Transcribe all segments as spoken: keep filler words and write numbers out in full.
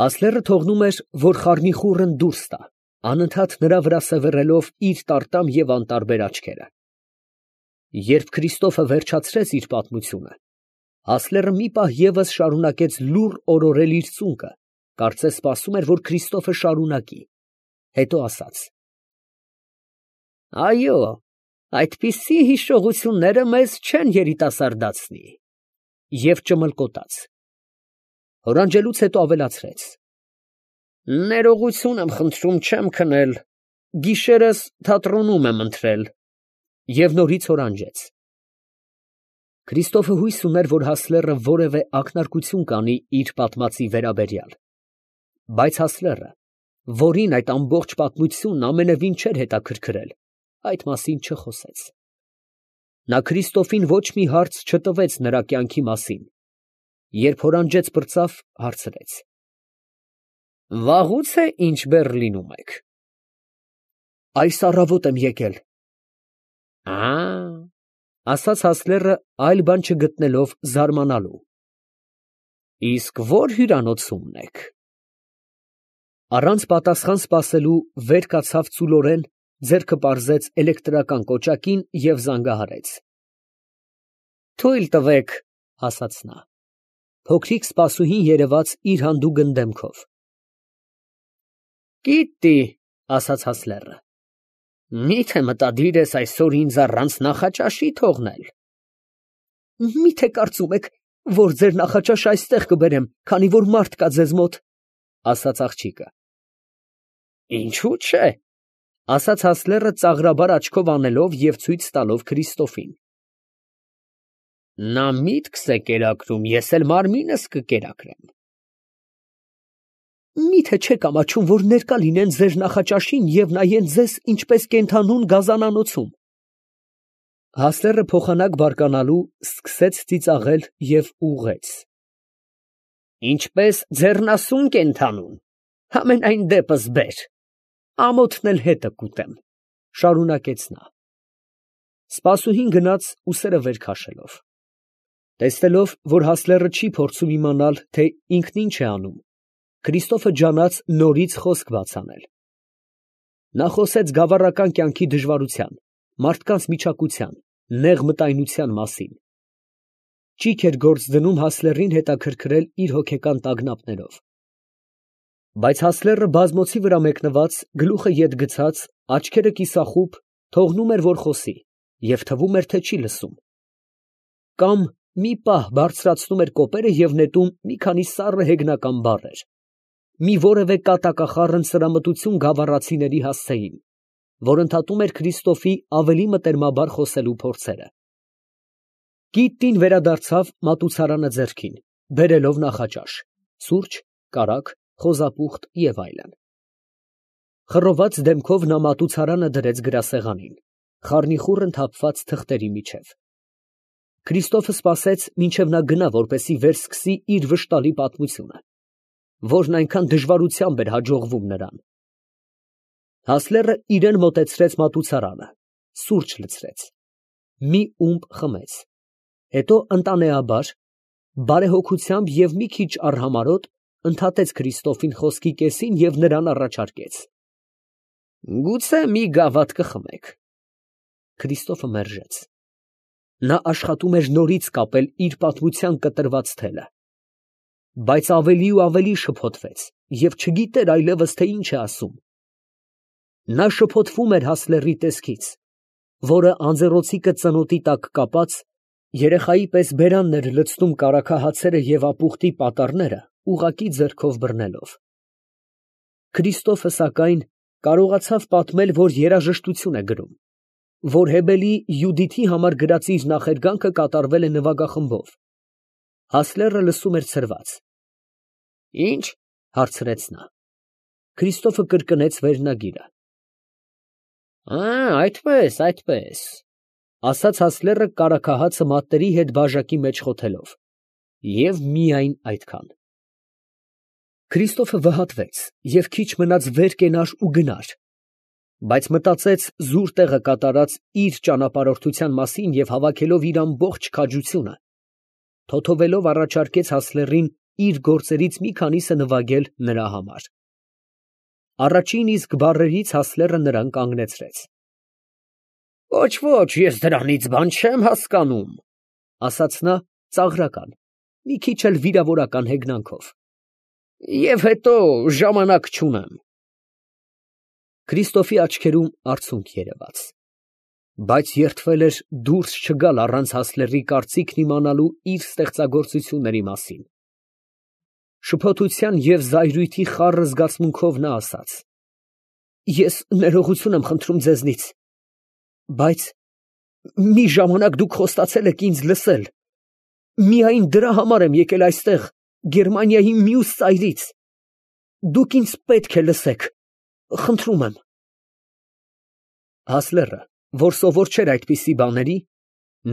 Հասլերը թողնում էր, որ խառնիխուռն դուրս տա, անընդհատ նրա վրա սևեռելով իր տարտամ և անտարբեր աչքերը։ Երբ Քրիստոֆը վերջացրեց իր պատմությունը, Հասլերը մի պահ ևս շարունակեց լուռ օրորել իր ծունկը, կարծես սպասում էր, որ Քրիստոֆը շարունակի, հետո ասաց. «Այո, այդպիսի հիշողությունները մեզ չեն երիտասարդացնի» և ճմլկոտաց։ Հորանջելուց հետո ավելացրեց. «Ներողություն եմ խնդրում, չեմ քնել, գիշերս թատրոնում եմ ընթրել» և նորից հորանջեց։ Քրիստոֆը հույս ուներ, որ Հասլերը որևէ ակնարկություն կանի իր պատմածի վերաբերյալ, բայց Հասլերը, որին այդ ամբողջ պատմությունն ամենևին չէր հետաքրքրել, այդ մասին չխոսեց։ Նա Քրիստոֆին ոչ մի հարց չտվեց նրա կյանքի մասին, երբ հորանջեց պրծավ, հարցրեց. «Վաղուց է ինչ Բեռլինում եք»։ «Այս առավոտ եմ եկել»։ «Ա՜, ֊ ասաց Հասլերը, այլ բան չգտնելով զարմանալու, ֊ իսկ ո՞ր հյուրանոցումն եք»։ Առանց պատասխան սպասելու վեր կացավ ծուլորեն, ձեռքը պարզեց էլեկտրական կոճակին և զանգահարեց։ «Թույլ տվեք», ֊ ասաց նա։ Փոքրիկ սպասուհին երևաց իր հանդուգն դեմքով։ «Կիտտի», ֊ ասաց Հասլերը, ֊ մի՞թե մտադիր ես այսօր ինձ առանց նախաճաշի թողնել։ «Մի՞թե կարծում եք, որ ձեր նախաճաշը այստեղ կբերեմ, քանի որ մարդ կա ձեզ մոտ», ֊ ասաց աղջիկը։ «Ինչո՞ւ չէ», ֊ ասաց Հասլերը ծաղրաբար աչքով անելով և ցույց տալով Քրիստոֆին։ «Նա միտքս է կերակրում, ես էլ մարմինս կկերակրեմ»։ «Մի՞թե չեք ամաչում, որ ներկա լինեն ձեր նախաճաշին և նայեն ձեզ ինչպես կենդանուն գազանանոցում»։ Հասլերը փոխանակ բարկանալու սկսեց ծիծաղել և ուղղեց. «Ինչպես ձեռնասուն կենդանուն, համենայն դեպս բեր, ամոթն էլ հետը կուտեմ», ֊ շարունակեց նա։ Սպասուհին գնաց ուսերը վեր քաշելով։ Տեսնելով, որ Հասլերը չի փորձում իմանալ, թե ինքն ինչ է անում, Քրիստոֆը ջանաց նորից խոսք բաց անել։ Նա խոսեց գավառական կյանքի դժվարության, մարդկանց միջակության, նեղ մտայնության մասին։ Ճիգ էր գործ դնում Հասլերին հետաքրքրել իր հոգեկան տագնապներով։ Բայց Հասլերը բազմոցի վրա մեկնված, գլուխը ետ գցած, աչքերը կիսախուբ, թողնում էր, որ խոսի, և թվում էր, թե չի լսում։ Կամ մի պահ բարձրացնում էր կոպերը և նետում մի քանի սառը հեգնական բառեր, մի որևէ կատակախառն սրամտություն գավառացիների հասցեին, որ ընդհատում էր Քրիստոֆի ավելի մտերմաբար խոսելու փորձերը։ Կիտտին վերադարձավ մատուցարանը ձեռքին, բերելով նախաճաշ, սուրճ, կարագ, խոզապուխտ և այլն։ Խռոված դեմքով նա մատուցարանը դրեց գրասեղանին, խառնիխուռն թափված թղթերի միջև։ Քրիստոֆը սպասեց, մինչև նա գնա, որպեսզի վերսկսի իր վշտալի պատմությունը, որն այնքան դժվարությամբ էր հաջողվում նրան։ Հասլերը իրան մոտեցրեց մատուցարանը, սուրճ լցրեց, մի ումպ խմեց, հետո ընտանեաբար, բարեհոգությամբ և մի քիչ արհամարհոտ ընդհատեց Քրիստոֆին խոսքի կեսին և նրան առաջարկեց. «Գուցե մի գավաթ կխմեք»։ Քրիստոֆը մերժեց։ Նա աշխատում էր նորից կապել իր պատմության կտրված թելը, բայց ավելի ու ավելի շփոթվեց և չգիտեր այլևս, թե ինչ է ասում։ Նա շփոթվում էր Հասլերի տեսքից, որը անձեռոցիկը ծնոտի տակ կապած, երեխայի պես բերանն էր լցնում կարագահացերը և ապուխտի պատառները ուղղակի ձեռքով բռնելով։ Քրիստոֆը, սակայն, կարողացավ պատմել, որ երաժշտություն է գրում, որ Հեբելի Յուդիթի համար գրած իր նախերգանքը կատարվել է նվագախմբով։ Հասլերը լսում էր ցրված։ «Ի՞նչ» հարցրեց նա։ Քրիստոֆը կրկնեց վերնագիրը։ «Ա, այդպես, այդպես», ֊ ասաց Հասլերը կարագահացը մատների հետ բաժակի մեջ խոթելով, և միայն այդքան։ Քրիստոֆը վհատվեց և քիչ մնաց վեր կենար ու գնար, բայց մտածեց զուր տեղը կատարած իր ճանապարհորդության մասին և հավաքելով իր ամբողջ քաջությունը, թոթովելով առաջարկեց Հասլերին իր գործերից մի քանիսը նվագել նրա համար։ Առաջին իսկ բառերից Հասլերը նրան կանգնեցրեց։ Ոչ, ոչ, ես դրանից բան չեմ հասկանում, ասաց նա ծաղրական, մի քիչ էլ վիրավորական հեգնանքով։ Եվ հետո ժամանակ չունեմ։ Քրիստոֆի աչքերում արցունք երևաց, բայց երդվել էր դուրս չգալ առանց Հասլերի կարծիքն իմանալու իր ստեղծագործությունների մասին։ Շփոթության և զայրույթի խառը զգացմունքով նա ասաց. Ես ներողություն եմ խնդրում ձեզնից, բայց մի ժամանակ դուք խոստացել եք ինձ լսել, միայն դրա համար եմ եկել այստեղ, Գերմանիայի մյուս ծայրից, դուք ինձ պետք է լսեք, խնդրում եմ։ Հասլերը, որ սովոր չէր այդպիսի բաների,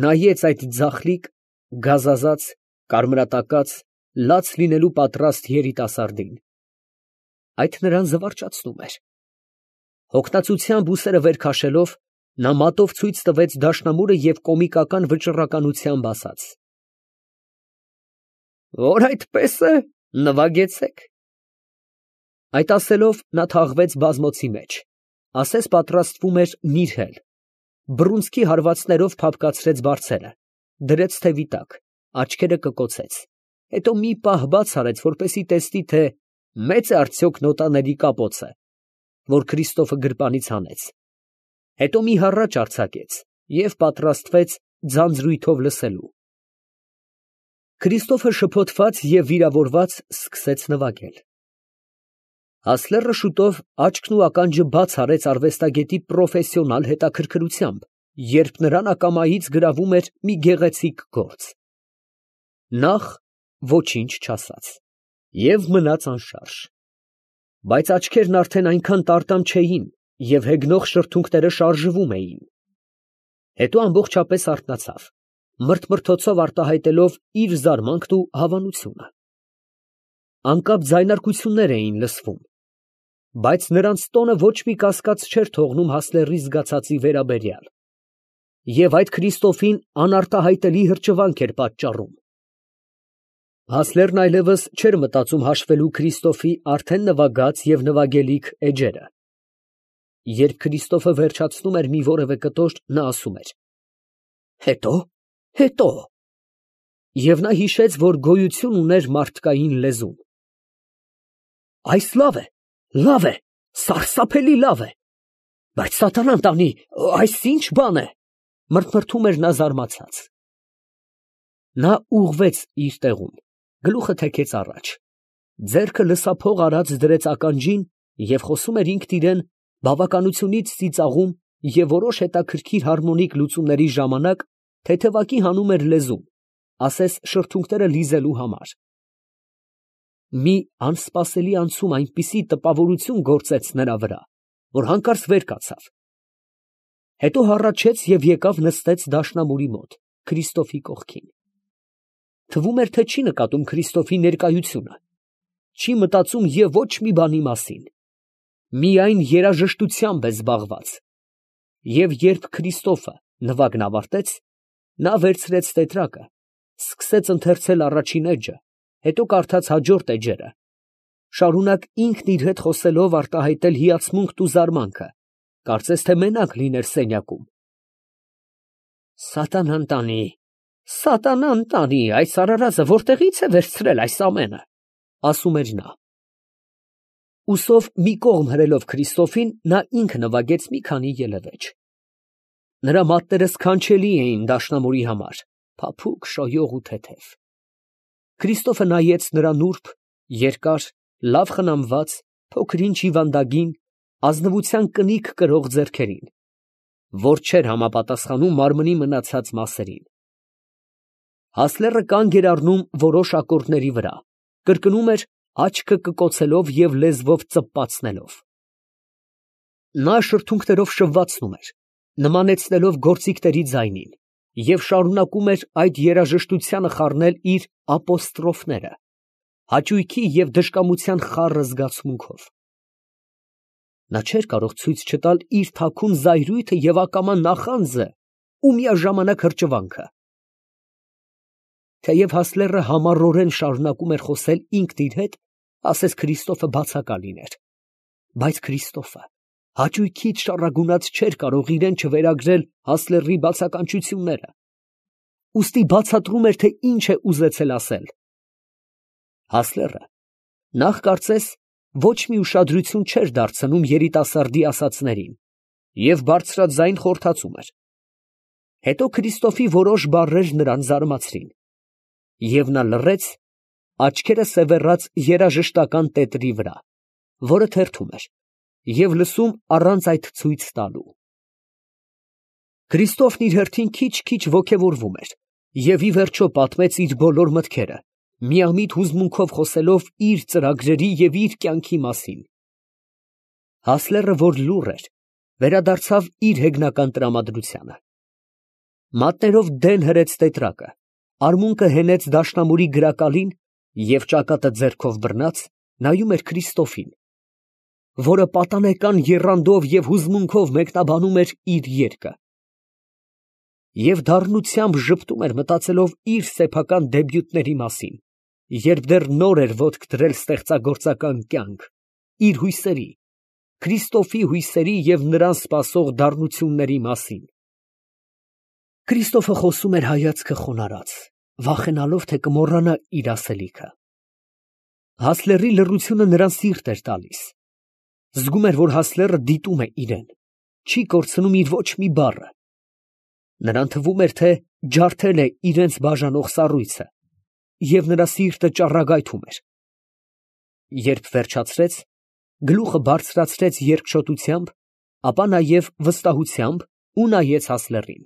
նայեց այդ ձախլիկ, գազազած, կարմրատակած, լաց լինելու պատրաստ երիտասարդին, այդ նրան զվարճացնում էր։ Հոգնածությամբ ուսերը վեր քաշելով, նա մատով ցույց տվեց դաշնամուրը և կոմիկական վճռականությամբ ասաց. Որ այդպես է, նվագեցեք։ Այդ ասելով նա թաղվեց բազմոցի մեջ, ասես պատրաստվում էր նիրհել, բռունցքի հարվածներով փափկացրեց բարձերը, դրեց թևի տակ, աչքերը կկոցեց, հետո մի պահ բաց արեց, որպեսզի տեսնի, թե մեծ է արդյոք նոտաների կապոցը, որ Քրիստոֆը գրպանից հանեց, հետո մի հառաչ արձակեց և պատրաստվեց ձանձրույթով լսելու։ Քրիստոֆը շփոթված և վիրավորված սկսեց նվագել։ Հասլերը շուտով աչքն ու ականջը բաց արեց արվեստագետի պրոֆեսիոնալ հետաքրքրությամբ, երբ նրան ակամայից գրավում էր մի գեղեցիկ գործ։ Նախ ոչինչ չասաց և մնաց անշարժ, բայց աչքերն արդեն այնքան տարտամ չէին և հեգնող շրթունքները շարժվում էին։ Հետո ամբողջապես արթնացավ, մրթմրթոցով արտահայտելով իր զարմանքն ու հավանությունը։ Անկապ ձայնարկություններ էին լսվում, բայց նրանց տոնը ոչ մի կասկած չէր թողնում Հասլերի զգացածի վերաբերյալ, և այդ Քրիստոֆին անարտահայտելի հրճվանք էր պատճառում։ Հասլերն այլևս չէր մտածում հաշվելու Քրիստոֆի արդեն նվագած և նվագելիք էջերը։ Երբ Քրիստոֆը վերջացնում էր մի որևէ կտոր, նա ասում էր. Հետո, հետո… Եվ նա հիշեց, որ գոյություն ուներ մարդկային լեզուն։ Այս լավ է, լավ է, սարսափելի լավ է, բայց սատանան տանի, այս ի՞նչ բան է, մրթմրթում էր նա զարմացած։ Նա ուղղվեց իր տեղում, գլուխը թեքեց առաջ, ձեռքը լսափող արած դրեց ականջին և խոսում էր ինքն իրան բավականությունից ծիծաղում և որոշ հետաքրքիր հարմոնիկ լուծումների ժամանակ թեթևակի հանում էր լեզուն, ասես շրթունքները լիզելու համար։ Մի անսպասելի անցում այնպիսի տպավորություն գործեց նրա վրա, որ հանկարծ վեր կացավ, հետո հառաչեց և եկավ նստեց դաշնամուրի մոտ, Քրիստոֆի կողքին։ Թվում էր, թե չի նկատում Քրիստոֆի ներկայությունը, չի մտածում և ոչ մի բանի մասին, միայն երաժշտությամբ է զբաղված, և երբ Քրիստոֆը նվագն ավարտեց, նա վերցրեց տետրակը, սկսեց ընթերցել առաջին էջը, հետո կարդաց հաջորդ էջերը, շարունակ ինքն իր հետ խոսելով արտահայտել հիացմունքն ու զարմանքը, կարծես թե մենակ լիներ սենյակում։ Սատանան տանի, սատանան տանի, այս արարածը որտեղի՞ց է վերցրել այս ամենը, ասում էր նա։ Ուսով մի կողմ հրելով Քրիստոֆին, նա ինքը նվագեց մի քանի ելևէջ։ Նրա մատները սքանչելի էին դաշնամուրի համար, փափուկ, շոյող ու թեթև։ Քրիստոֆը նայեց նրա նուրբ, երկար, լավ խնամված, փոքր-ինչ հիվանդագին, ազնվության կնիկ կրող ձեռքերին, որ չէր համապատասխանում մարմնի մնացած մասերին։ Հասլերը կանգ էր առնում որոշ ակորդների վրա, կրկնում էր, աչքը կկոցելով և լեզվով ծպպացնելով։ Նա շրթունքներով շվվացնում էր, նմանեցնելով գործիքների ձայնին, և շարունակում էր այդ երաժշտությանը խառնել իր ապոստրոֆները, հաճույքի և դժկամության խառը զգացմունքով։ Նա չէր կարող ցույց չտալ իր թաքուն զայրույթը և ակամա նախանձը ու միաժամանակ հրճվանքը։ Թեև Հասլերը համառորեն շարունակում էր խոսել ինքն իր հետ, ասես Քրիստոֆը բացակա լիներ, բայց Քրիստոֆը հաճույքից շառագունած չէր կարող իրեն չվերագրել Հասլերի բացականչությունները, ուստի բացատրում էր, թե ինչ է ուզեցել ասել։ Հասլերը նախ կարծես ոչ մի ուշադրություն չէր դարձնում երիտասարդի ասածներին և բարձրաձայն խորհրդածում էր։ Հետո Քրիստոֆի որոշ բառեր նրան զարմացրին, և նա լռեց, աչքերը սևեռած երաժշտական տետրի վրա, որը թերթում էր, և լսում առանց այդ ցույց տալու։ Քրիստոֆն իր հերթին քիչ֊քիչ ոգևորվում էր և ի վերջո պատմեց իր բոլոր մտքերը, միամիտ հուզմունքով խոսելով իր ծրագրերի և իր կյանքի մասին։ Հասլերը, որ լուռ էր, վերադարձավ իր հեգնական տրամադրությանը։ Մատներով դեն հրեց տետրակը, արմունկը հենեց դաշնամուրի գրակալին և ճակատը ձեռքով բռնած նայում էր Քրիստոֆին, որը պատանեկան եռանդով և հուզմունքով մեկնաբանում էր իր երգը և դառնությամբ ժպտում էր, մտածելով իր սեփական դեբյուտների մասին, երբ դեռ նոր էր ոտք դրել ստեղծագործական կյանք, իր հույսերի, Քրիստոֆի հույսերի և նրան սպասող դառնությունների մասին։ Քրիստոֆը խոսում էր հայացքը խոնարհած, վախենալով, թե կմոռանա իր ասելիքը։ Հասլերի լռությունը նրան սիրտ էր տալիս։ Զգում էր, որ Հասլերը դիտում է իրեն, չի կորցնում իր ոչ մի բառը։ Նրան թվում էր, թե ջարդել է իրենց բաժանող սառույցը, և նրա սիրտը ճառագայթում էր։ Երբ վերջացրեց, գլուխը բարձրացրեց երկչոտությամբ, ապա նաև վստահությամբ ու նայեց Հասլերին։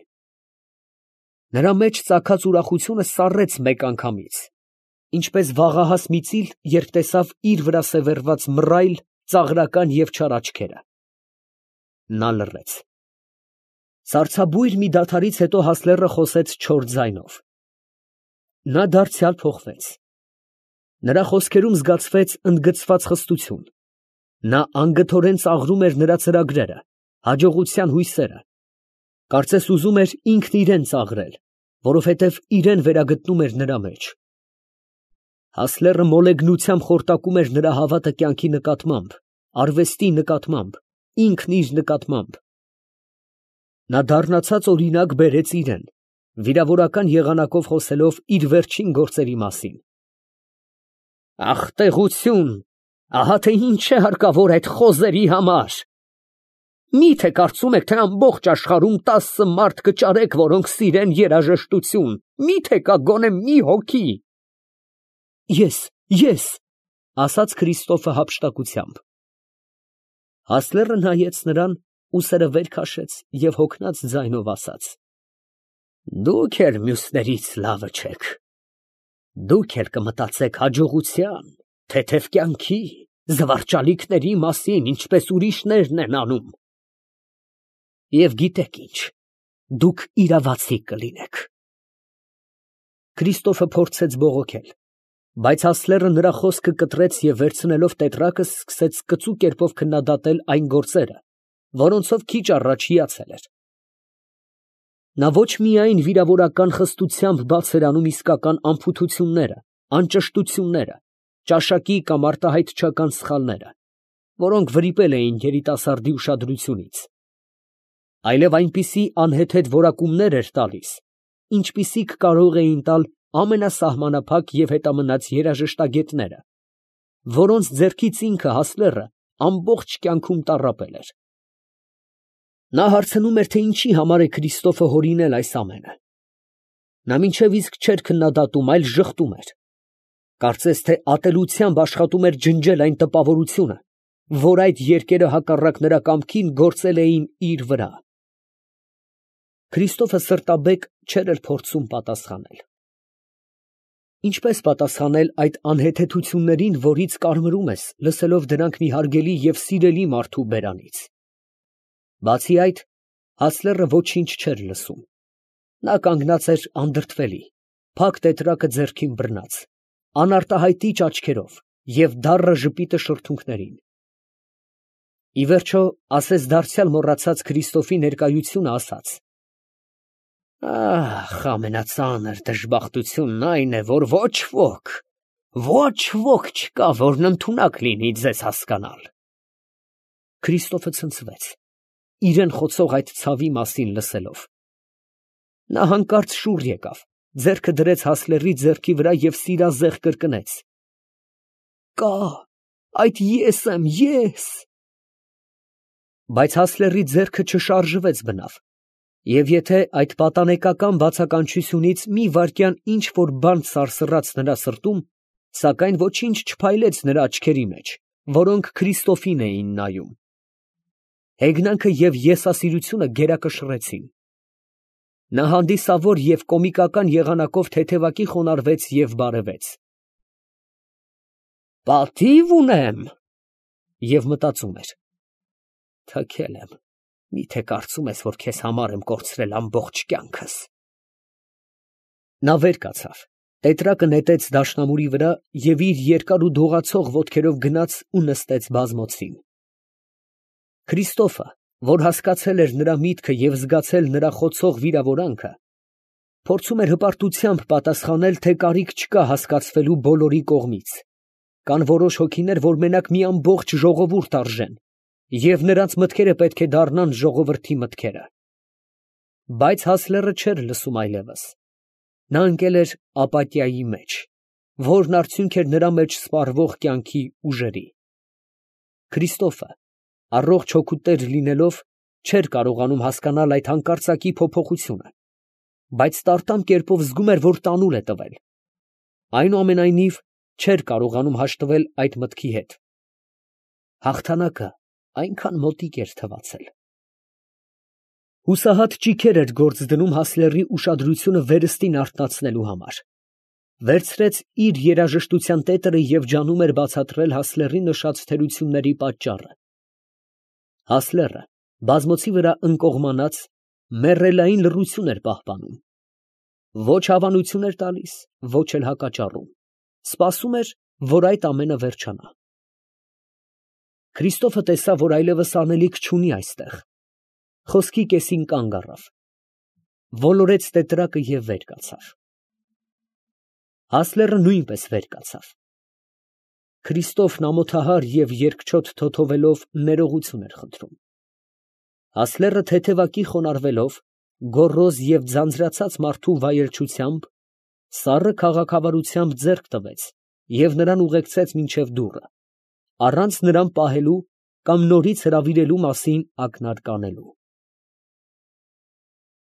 Նրա մեջ ծագած ուրախությունը սառեց մեկ անգամից, ինչպես վաղահաս մի ծիլ, երբ տեսավ իր վրա սևեռված մռայլ, ծաղրական և չար աչքերը։ Նա լռեց։ Սառցաբույր մի դադարից հետո Հասլերը խոսեց չոր ձայնով։ Նա դարձյալ փոխվեց։ Նրա խոսքերում զգացվեց ընդգծված խստություն։ Նա անգթորեն ծաղրում էր նրա ծրագրերը, հաջողության հույսերը, կարծես ուզում էր ինքն իրան ծաղրել, որովհետև իրան վերագտնում էր նրա մեջ։ Հասլերը մոլեգնությամբ խորտակում էր նրա հավատը կյանքի նկատմամբ, արվեստի նկատմամբ, ինքն իր նկատմամբ։ Նա դառնացած օրինակ բերեց իրան, վիրավորական եղանակով խոսելով իր վերջին գործերի մասին։ Ախտեղություն, ահա թե ինչ է հարկավոր այդ խոզերի համար։ Մի՞թե կարծում եք, թե ամբողջ աշխարհում տասը մարդ կճարեք, որոնք սիրեն երաժշտություն, մի՞թե կա գոնե մի հոգի։ Ես, ես, ասաց Քրիստոֆը հափշտակությամբ։ Հասլերը նայեց նրան, ուսերը վեր քաշեց և հոգնած ձայնով ասաց. Դուք էլ մյուսներից լավը չեք։ Դուք էլ կմտածեք հաջողության, թեթև կյանքի, զվարճալիքների մասին, ինչպես ուրիշներն են անում։ Եվ գիտեք ինչ, դուք իրավացի կլինեք։ Քրիստոֆը փորձեց բողոքել, բայց Հասլերը նրա խոսքը կտրեց և վերցնելով տետրակը, սկսեց կծու կերպով քննադատել այն գործերը, որոնցով քիչ առաջ հիացել էր։ Նա ոչ միայն վիրավորական խստությամբ բաց էր անում իսկական անփութությունները, անճշտությունները, ճաշակի կամ արտահայտչական սխալները, որոնք վրիպել էին երիտասարդի ուշադրությունից, այլև այնպիսի անհեթեթ որակումներ էր տալիս, ինչպիսիք կարող էին տալ ամենասահմանափակ և հետամնաց երաժշտագետները, որոնց ձեռքից ինքը Հասլերը ամբողջ կյանքում տառապել էր։ Նա հարցնում էր, թե ինչի համար է Քրիստոֆը հորինել այս ամենը։ Նա մինչև իսկ չէր քննադատում, այլ ժխտում էր։ Կարծես թե ատելությամբ աշխատում էր ջնջել այն տպավորությունը, որ այդ երգերը հակառակ նրա կամքին գործել էին իր վրա։ Քրիստոֆը սրտաբեկ չէր էլ փորձում պատասխանել։ Ինչպես պատասխանել այդ անհեթեթություններին, որից կարմրում ես, լսելով դրանք մի հարգելի և սիրելի մարդու բերանից։ Բացի այդ, Հասլերը ոչինչ չէր լսում։ Նա կանգնած էր անդրդվելի, փակ տետրակը ձեռքին բռնած, անարտահայտիչ աչքերով և դառը ժպիտը շրթունքներին։ Ի վերջո, ասես դարձյալ մոռացած Քրիստոֆի ներկայությունը, ասաց. Ահ, ամենածանր դժբախտությունն այն է, որ ոչ ոք, ոչ ոք չկա, որն ընդունակ լինի ձեզ հասկանալ։ Քրիստոֆը ցնցվեց, իրեն խոցող այդ ցավի մասին լսելով։ Նա հանկարծ շուռ եկավ, ձեռքը դրեց Հասլերի ձեռքի վրա և սիրազեղ կրկնեց. «Կա, այդ ես եմ, ես»։ Բայց Հասլերի ձեռքը չշարժվեց բնավ, և եթե այդ պատանեկական բացականչությունից մի վայրկյան ինչ որ բան սարսռաց նրա սրտում, սակայն ոչինչ չփայլեց նրա աչքերի մեջ, որոնք Քրիստոֆին էին նայում։ Հեգնանքը և եսասիրությունը գերակշռեցին։ Նա հանդիսավոր և կոմիկական եղանակով թեթևակի խոնարհվեց և բարևեց։ «Պատիվ ունեմ» և մտածում էր. «Թքել եմ, միթե կարծում ես, որ քեզ համար եմ կորցրել ամբողջ կյանքս»։ Նա վեր կացավ, տետրակը նետեց դաշնամուրի վրա և իր երկար ու դողացող ոտքերով գնաց ու նստեց բազմոցին։ Քրիստոֆը, որ հասկացել էր նրա միտքը և զգացել նրա խոցող վիրավորանքը, փորձում էր հպարտությամբ պատասխանել, թե կարիք չկա հասկացվելու բոլորի կողմից. կան որոշ հոգիներ, որ մենակ մի ամբողջ ժողովուրդ արժեն, և նրանց մտքերը պետք է դառնան ժողովրդի մտքերը։ Բայց Հասլերը չէր լսում այլևս. նա ընկել էր ապաթիայի մեջ, որն արդյունք էր նրա մեջ սպառվող կյանքի ուժերի։ Քրիստոֆը, առողջ հոգուտեր լինելով, չէր կարողանում հասկանալ այդ հանկարծակի փոփոխությունը, բայց տարտամ կերպով զգում էր, որ տանուլ է տվել։ Այնուամենայնիվ, չէր կարողանում հաշտվել այդ մտքի հետ. հաղթանակը այնքան մոտիկ էր թվացել։ Հուսահատ ճիգեր էր գործ դնում Հասլերի ուշադրությունը վերստին արթնացնելու համար։ Վերցրեց իր երաժշտության տետրը և ջանում էր բացատրել Հասլերի նշած թերությունների պատճառը։ Հասլերը, բազմոցի վրա ընկողմանած, մեռելային լռություն էր պահպանում։ Ոչ հավանություն էր տալիս, ոչ էլ հակաճառում, սպասում էր, որ այդ ամենը վերջանա։ Քրիստոֆը տեսավ, որ այլևս անելիք չունի այստեղ, խոսքի կեսին կանգ առավ, ոլորեց տետրակը և վեր կացավ։ Հասլերը նույնպես վեր կացավ։ Քրիստոֆն ամոթահար և երկչոտ թոթովելով ներողություն էր խնդրում։ Հասլերը թեթևակի խոնարհվելով, գոռոզ և ձանձրացած մարդու վայելչությամբ, սառը քաղաքավարությամբ ձեռք տվեց և նրան ուղեկցեց մինչև դուռը, առանց նրան պահելու կամ նորից հրավիրելու մասին ակնարկ անելու։